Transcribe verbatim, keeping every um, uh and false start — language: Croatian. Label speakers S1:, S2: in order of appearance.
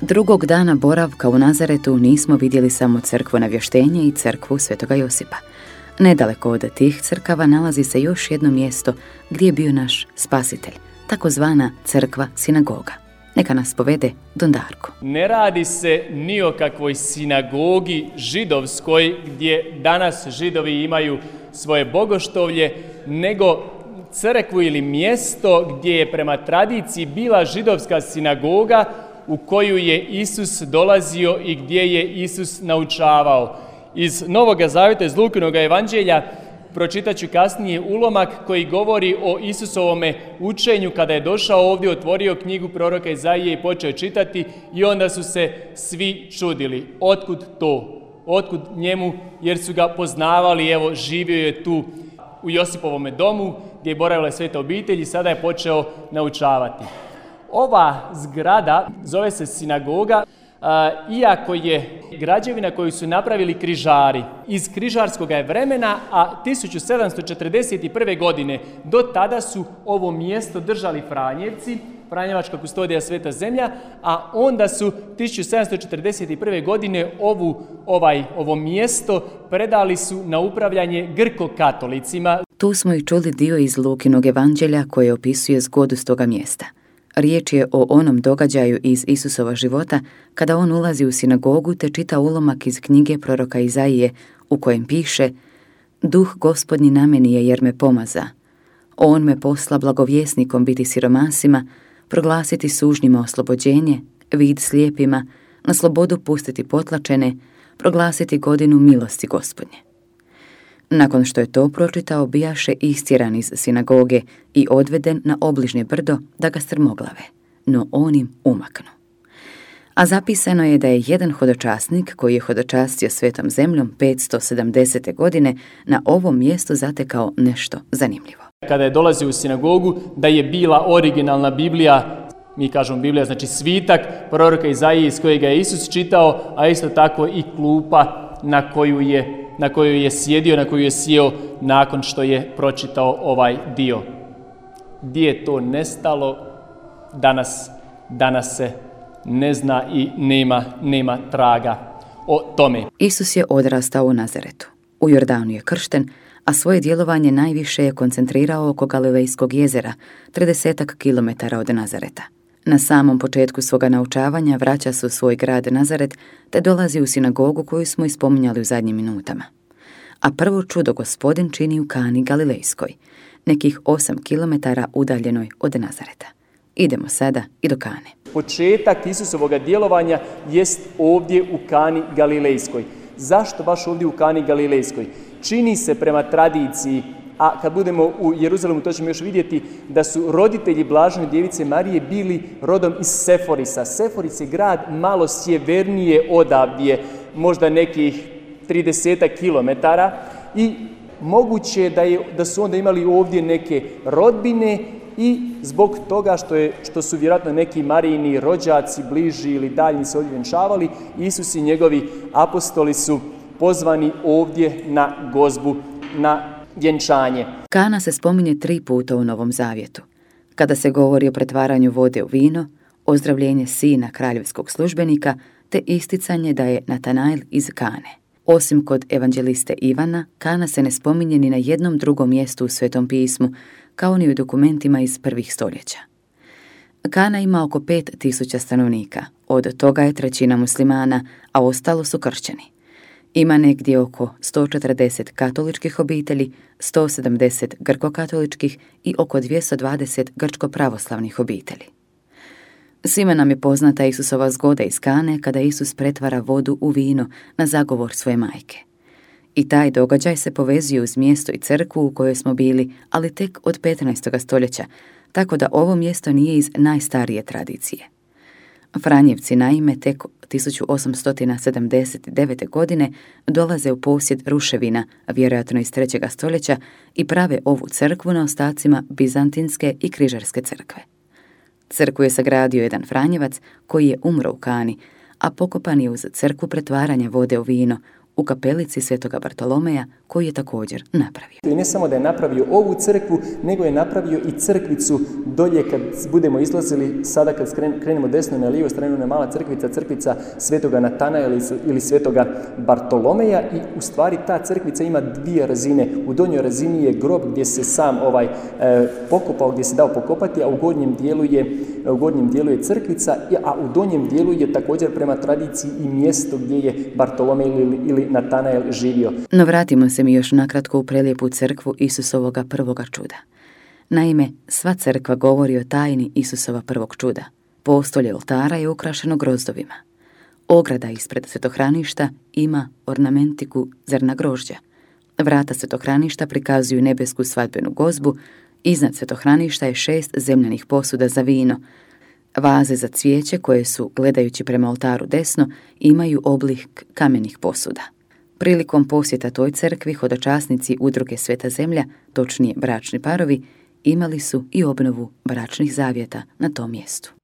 S1: Drugog dana boravka u Nazaretu nismo vidjeli samo crkvu Navještenje i crkvu Svetoga Josipa. Nedaleko od tih crkava nalazi se još jedno mjesto gdje je bio naš spasitelj, takozvana crkva sinagoga. Neka nas povede Don Darko.
S2: Ne radi se ni o kakvoj sinagogi židovskoj gdje danas Židovi imaju svoje bogoštovlje, nego crkvu ili mjesto gdje je prema tradiciji bila židovska sinagoga u koju je Isus dolazio i gdje je Isus naučavao. Iz Novoga Zavjeta, iz Lukinoga evanđelja, pročitat ću kasnije ulomak koji govori o Isusovome učenju kada je došao ovdje, otvorio knjigu proroka Izaije i počeo čitati i onda su se svi čudili. Otkud to? Otkud njemu? Jer su ga poznavali, evo živio je tu u Josipovome domu gdje je boravila sveta obitelj i sada je počeo naučavati. Ova zgrada zove se sinagoga, iako je građevina koju su napravili križari iz križarskog je vremena, a tisuću sedamsto četrdeset prve. godine do tada su ovo mjesto držali Franjevci, Franjevačka kustodija Sveta Zemlja, a onda su tisuću sedamsto četrdeset prve. godine ovu, ovaj, ovo mjesto predali su na upravljanje grko-katolicima.
S1: Tu smo i čuli dio iz Lukinog evanđelja koje opisuje zgodu s toga mjesta. Riječ je o onom događaju iz Isusova života kada on ulazi u sinagogu te čita ulomak iz knjige proroka Izaije u kojem piše: Duh Gospodnji na meni je jer me pomaza. On me posla blagovjesnikom biti siromasima, proglasiti sužnjima oslobođenje, vid slijepima, na slobodu pustiti potlačene, proglasiti godinu milosti Gospodnje. Nakon što je to pročitao, bijaše istjeran iz sinagoge i odveden na obližnje brdo da ga strmoglave, no on im umaknu. A zapisano je da je jedan hodočasnik koji je hodočastio svetom zemljom petsto sedamdesete. godine na ovom mjestu zatekao nešto zanimljivo.
S2: Kada je dolazio u sinagogu, da je bila originalna Biblija, mi kažemo Biblija, znači svitak proroka Izaije iz kojega je Isus čitao, a isto tako i klupa na koju je na koju je sjedio, na koju je sjeo nakon što je pročitao ovaj dio. Gdje je to nestalo, danas, danas se ne zna i nema, nema traga o tome.
S1: Isus je odrastao u Nazaretu. U Jordanu je kršten, a svoje djelovanje najviše je koncentrirao oko Galilejskog jezera, tridesetak kilometara od Nazareta. Na samom početku svoga naučavanja vraća se u svoj grad Nazaret te dolazi u sinagogu koju smo ispominjali u zadnjim minutama. A prvo čudo Gospodin čini u Kani Galilejskoj, nekih osam kilometara udaljenoj od Nazareta. Idemo sada i do Kane.
S2: Početak Isusovoga djelovanja jest ovdje u Kani Galilejskoj. Zašto baš ovdje u Kani Galilejskoj? Čini se prema tradiciji, a kad budemo u Jeruzalemu to ćemo još vidjeti, da su roditelji Blažene djevice Marije bili rodom iz Seforisa. Seforis je grad malo sjevernije odavdje, možda nekih tridesetak kilometara, i moguće je da, je da su onda imali ovdje neke rodbine i zbog toga što, je, što su vjerojatno neki Marijini rođaci bliži ili daljni se ovdje vjenčavali, Isus i njegovi apostoli su pozvani ovdje na gozbu, na vjenčanje.
S1: Kana se spominje tri puta u Novom Zavjetu. Kada se govori o pretvaranju vode u vino, ozdravljenje sina kraljevskog službenika, te isticanje da je Natanael iz Kane. Osim kod evanđeliste Ivana, Kana se ne spominje ni na jednom drugom mjestu u Svetom pismu, kao ni u dokumentima iz prvih stoljeća. Kana ima oko pet tisuća stanovnika, od toga je trećina muslimana, a ostalo su kršćani. Ima negdje oko sto četrdeset katoličkih obitelji, sto sedamdeset grko-katoličkih i oko dvjesto dvadeset grčko-pravoslavnih obitelji. Svima nam je poznata Isusova zgoda iz Kane kada Isus pretvara vodu u vino na zagovor svoje majke. I taj događaj se povezuje uz mjesto i crkvu u kojoj smo bili, ali tek od petnaestog stoljeća, tako da ovo mjesto nije iz najstarije tradicije. Franjevci naime tek tisuću osamsto sedamdeset devete. godine dolaze u posjed ruševina, vjerojatno iz trećeg stoljeća, i prave ovu crkvu na ostacima bizantinske i križarske crkve. Crkvu je sagradio jedan Franjevac koji je umro u Kani, a pokopan je uz crkvu pretvaranja vode u vino u kapelici Svetoga Bartolomeja koju je također napravio.
S3: I ne samo da je napravio ovu crkvu, nego je napravio i crkvicu dolje kad budemo izlazili, sada kad krenemo desno na lijevu stranu, na mala crkvica, crkvica Svetoga Natanaela ili Svetoga Bartolomeja i u stvari ta crkvica ima dvije razine. U donjoj razini je grob gdje se sam ovaj e, pokopao, gdje se dao pokopati, a u gornjem dijelu je, u gornjem dijelu je crkvica, a u donjem dijelu je također prema tradiciji i mjesto gdje je Bartolomej ili, ili Natanael živio.
S1: No vratimo se mi još nakratko u prelijepu crkvu Isusovoga prvoga čuda. Naime, sva crkva govori o tajni Isusova prvog čuda. Postolje oltara je ukrašeno grozdovima. Ograda ispred svetohraništa ima ornamentiku zrna grožđa. Vrata svetohraništa prikazuju nebesku svadbenu gozbu, iznad svetohraništa je šest zemljanih posuda za vino. Vaze za cvijeće koje su, gledajući prema oltaru desno, imaju oblik kamenih posuda. Prilikom posjeta toj crkvi hodočasnici udruge Sveta zemlja, točnije bračni parovi, imali su i obnovu bračnih zavjeta na tom mjestu.